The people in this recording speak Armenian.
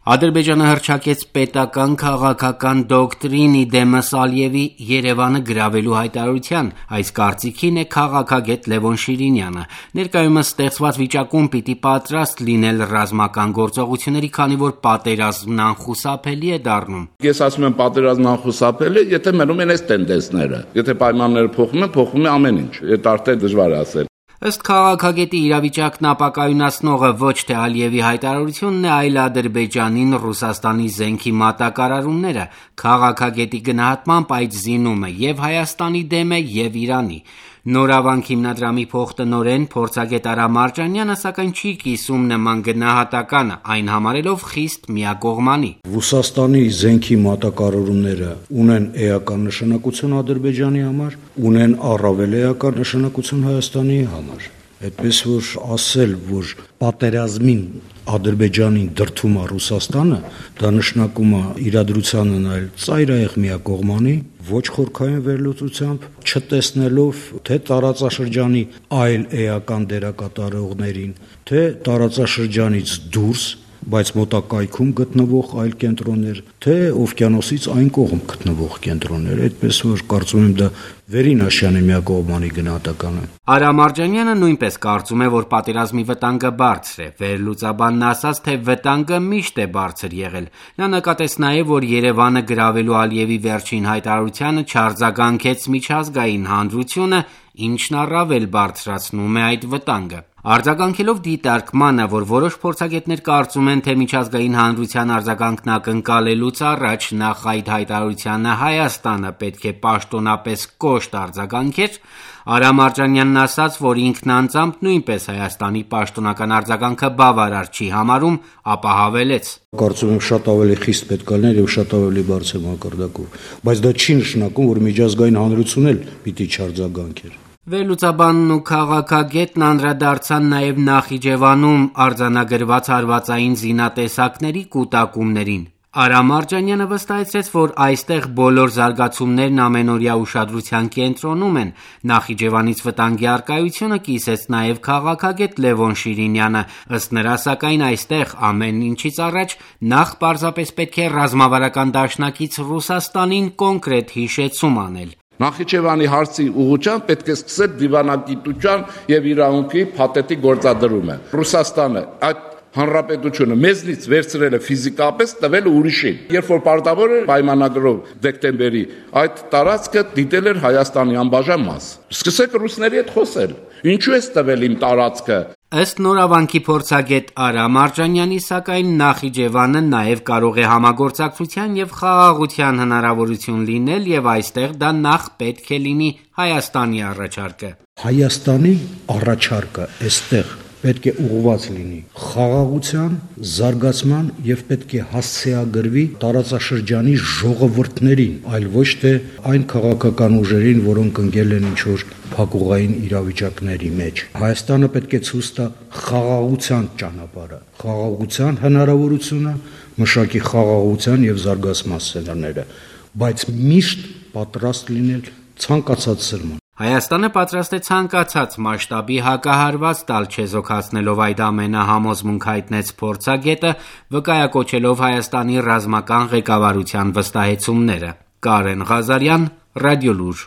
Ադրբեջանը հռչակեց պետական քաղաքական դոկտրին իդեմս Ալիևի Երևանը գրավելու հայտարարության, այս կարծիքին է քաղաքագետ Լևոն Շիրինյանը: Ներկայումս ստեղծված վիճակում պիտի պատրաստ լինել ռազմական գործողությունների, քանի որ պատերազմն անխուսափելի է դառնում: Ես ասում եմ պատերազմն անխուսափելի է, եթե մնում են այս տենդենսները, եթե պայմանները փոխվում է ամեն ինչ, այդ արդեն դժվար է ասել: Ըստ քաղաքագետի, իրավիճակն ապակայունացնողը ոչ թե Ալիևի հայտարարությունն է, այլ Ադրբեջանին Ռուսաստանի զենքի մատակարարումները: Քաղաքագետի գնահատմամբ այդ զինումը և Հայաստանի դեմ է, և Իրանի: Նորավանք հիմնադրամի փոխտնօրեն, փորձագետ Արա Մարջանյանը, սակայն չի կիսում նման գնահատականը, այն համարելով խիստ միակողմանի: Ռուսաստանի զենքի մատակարարումները ունեն էական նշանակություն Ադրբեջանի համար, ունեն առավել էական նշանակություն Հայաստանի համար: Այդպես որ ասել, որ պատերազմին Ադրբեջանին դրդում է Ռուսաստանը, դա նշանակում է իրադրությանը նայել ծայրահեղ միակողմանի, ոչ խորքային վերլուծությամբ, չտեսնելով թե տարածաշրջանի այլ էական դերակատարողներին, թե տարածաշրջանից դուրս, բայց մոտակայքում գտնվող այլ կենտրոններ, թե օվկիանոսից այն կողմ գտնվող կենտրոններ: Այդպես որ կարծում եմ դա վերին աշյանի միակողմանի գնահատական է: Արա Մարջանյանը նույնպես կարծում է, որ պատերազմի վտանգը բարձր է: Վերլուծաբանն ասաց, թե վտանգը միշտ է բարձր եղել: Նա նկատեց նաև, որ Երևանը գրավելու Ալիևի վերջին հայտարարությանը չարձագանքեց միջազգային հանրությունը, ինչն առավել բարձրացնում է այդ վտանգը: Արձագանքելով դիտարկմանը, որ որոշ փորձագետներ կարծում են, թե միջազգային հանրության արձագանքն ակնկալելուց առաջ նախ այդ հայտարարությանը Հայաստանը պետք է պաշտոնապես կոշտ արձագանքեր, Արա Մարջանյանն ասաց, որ ինքն անձամբ նույնպես Հայաստանի պաշտոնական արձագանքը բավարար չի համարում, ապա հավելեց. Կարծում եմ շատ ավելի խիստ պետք է լիներ և շատ ավելի բարձր մակարդակով, բայց դա չի նշանակում, որ միջազգային հանրությունն էլ պիտի չարձագանքեր: Վերլուծաբանն ու քաղաքագետն անդրադարձան նաև Նախիջևանում արձանագրված հարվածային զինատեսակների կուտակումներին: Արա Մարջանյանը վստահեցրեց, որ այստեղ բոլոր զարգացումներն ամենօրյա ուշադրության կենտրոնում են: Նախիջևանից վտանգի առկայությունը կիսեց նաև քաղաքագետ Լևոն Շիրինյանը: Ըստ նրա, սակայն, այստեղ ամեն ինչից առաջ նախ պարզապես պետք է ռազմավարական դաշնակից Ռուսաստանին կոնկրետ հիշեցում անել: Նախիջևանի հարցի ուղղությամբ պետք է սկսել դիվանագիտության և իրավունքի փաթեթի գործադրումը: Ռուսաստանը այդ հանրապետությունը մեզնից վերցրել է ֆիզիկապես, տվել ուրիշին: Երբ որ պարտավոր էր պայմանագրով դեկտեմբերի, այդ տարածքը դիտել էր Հայաստանի անբաժան մաս: Սկսեք ռուսների հետ խոսել: Ինչու ես տվել իմ տարածքը: Ըստ նորավանքի փորձագետ Արա Մարջանյանի, սակայն, Նախիջևանը նաև կարող է համագործակցության և խաղաղության հնարավորություն լինել և այստեղ դա նախ պետք է լինի Հայաստանի առաջարկը: Հայաստանի առաջարկը այստեղ պետք է ուղղված լինի խաղաղության, զարգացման և պետք է հասցեագրվի տարածաշրջանի ժողովուրդներին, այլ ոչ թե այն քաղաքական ուժերին, որոնք ընկել են ինչ-որ փակուղային իրավիճակների մեջ: Հայաստանը պետք է ցույց տա խաղաղության ճանապարհը, խաղաղության հնարավորությունը, մշակի խաղաղության և զարգացման սցենարները, բայց միշտ պատրաստ լինել ցանկացած սրման: Հայաստանը պատրաստ է ցանկացած մասշտաբի հակահարված տալ, չեզոքացնելով այդ ամենը, համոզմունք հայտնեց փորձագետը, վկայակոչելով Հայաստանի ռազմական ղեկավարության վստահեցումները: Կարեն Ղազարյան, Ռադիոլուր: